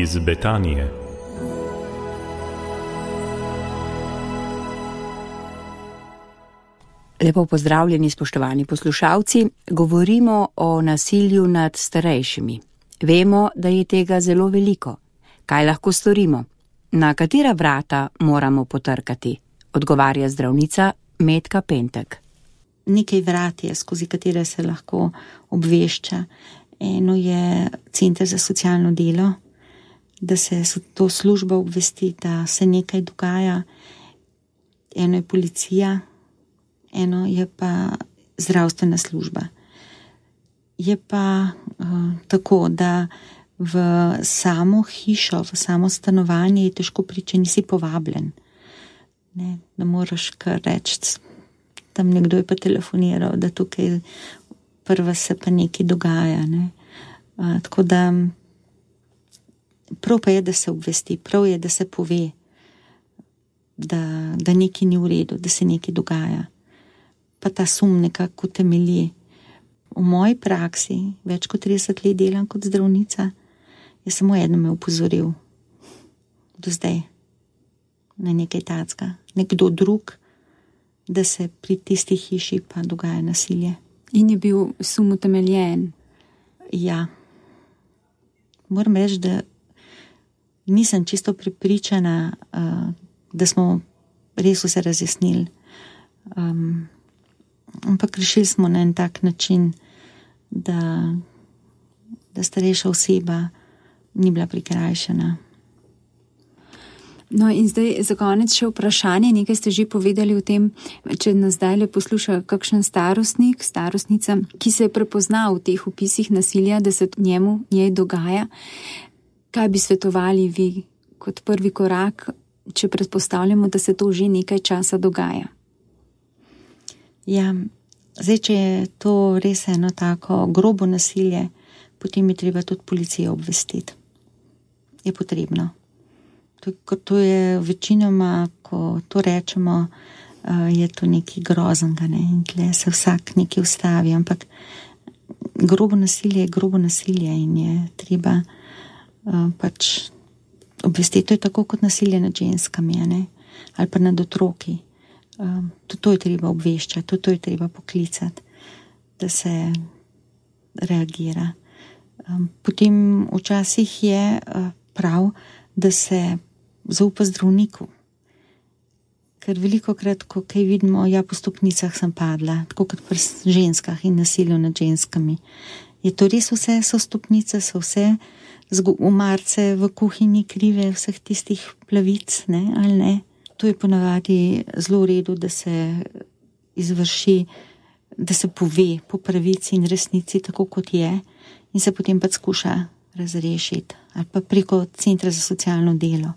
Iz Betanije. Lepo pozdravljeni, spoštovani poslušalci. Govorimo o nasilju nad starejšimi. Vemo, da je tega zelo veliko. Kaj lahko storimo? Na katera vrata moramo potrkati? Odgovarja zdravnica Metka Pentek. Nekaj vrat je, skozi katere se lahko obvešča. Eno je Center za socialno delo, da se to služba obvesti, da se nekaj dogaja. Eno je policija, eno je pa zdravstvena služba. Je pa tako, da v samo hišo, v samo stanovanje je težko priti, če nisi povabljen. Ne moraš kar reči, tam nekdo je pa telefoniral, da tukaj prva se pa nekaj dogaja. Ne. Tako da prav pa je, da se obvesti, prav je, da se pove, da nekaj ni v redu, da se nekaj dogaja. Pa ta sum nekako temelji. V moji praksi, več kot 30 let delam kot zdravnica, je samo eno me upozoril do zdaj na nekaj tacka. Nekdo drug, da se pri tisti hiši pa dogaja nasilje. In je bil sum utemeljen? Ja. Moram reči, da nisem čisto prepričana, da smo res vse razjasnili. Ampak rešili smo na en tak način, da starejša oseba ni bila prikrajšana. No in zdaj za konec še vprašanje, nekaj ste že povedali o tem, če nas zdaj posluša kakšen starostnik, starostnica, ki se je prepoznal v teh opisih nasilja, da se njej dogaja. Kaj bi svetovali vi kot prvi korak, če predpostavljamo, da se to že nekaj časa dogaja? Ja, zdaj, če je to res eno tako grobo nasilje, potem je treba tudi policijo obvestiti. Je potrebno. To je večinoma, ko to rečemo, je to nekaj groznega, ne? In tle se vsak nekaj ustavi, ampak grobo nasilje je grobo nasilje in je treba pač obvestiti. To je tako kot nasilje nad ženskami, ne? Ali pa nad otroki. Tudi to je treba obveščati, tudi to je treba poklicati, da se reagira. Potem včasih je prav, da se zaupa zdravniku. Ker velikokrat, ko kaj vidimo, ja, po stopnicah sem padla, tako kot pri ženskah in nasilju nad ženskami. Je to res vse, so stopnice, so vse umarce v kuhinji krive, vseh tistih plavic, ne, ali ne? To je ponavadi zelo v redu, da se izvrši, da se pove po pravici in resnici, tako kot je, in se potem pa skuša razrešiti. Ali pa preko Centra za socialno delo.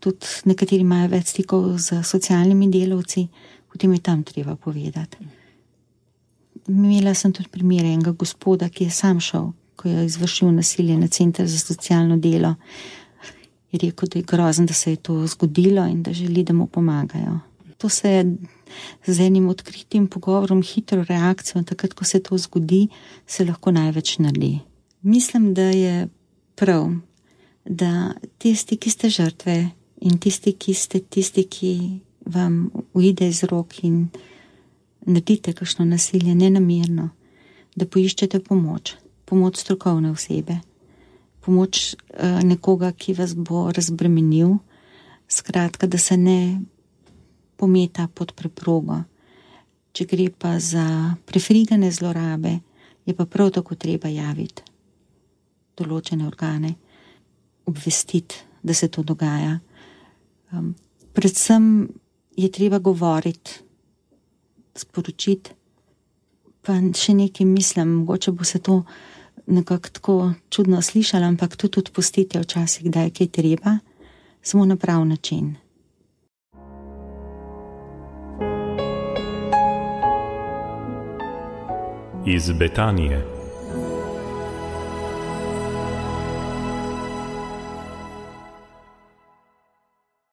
Tudi nekateri imajo več stikov z socialnimi delavci, potem je tam treba povedati. Imela sem tudi primer enega gospoda, ki je sam šel, ko je izvršil nasilje na Center za socialno delo. Je rekel, da je grozen, da se je to zgodilo in da želi, da mu pomagajo. To se z enim odkritim pogovorom, hitro reakcijo, takrat, ko se to zgodi, se lahko največ naredi. Mislim, da je prav, da tisti, ki ste žrtve in tisti, ki vam uide iz rok in naredite kakšno nasilje nenamerno, da poiščete pomoč strokovne osebe. Pomoč nekoga, ki vas bo razbremenil, skratka, da se ne pometa pod preprogo. Če gre pa za prefrigane zlorabe, je pa prav tako treba javiti določene organe, obvestiti, da se to dogaja. Predvsem je treba govoriti, sporočiti, pa še nekaj mislim, mogoče bo se to nekako tako čudno slišala, ampak tudi odpustite včasih, da je kaj treba, samo na prav način. Iz Betanije.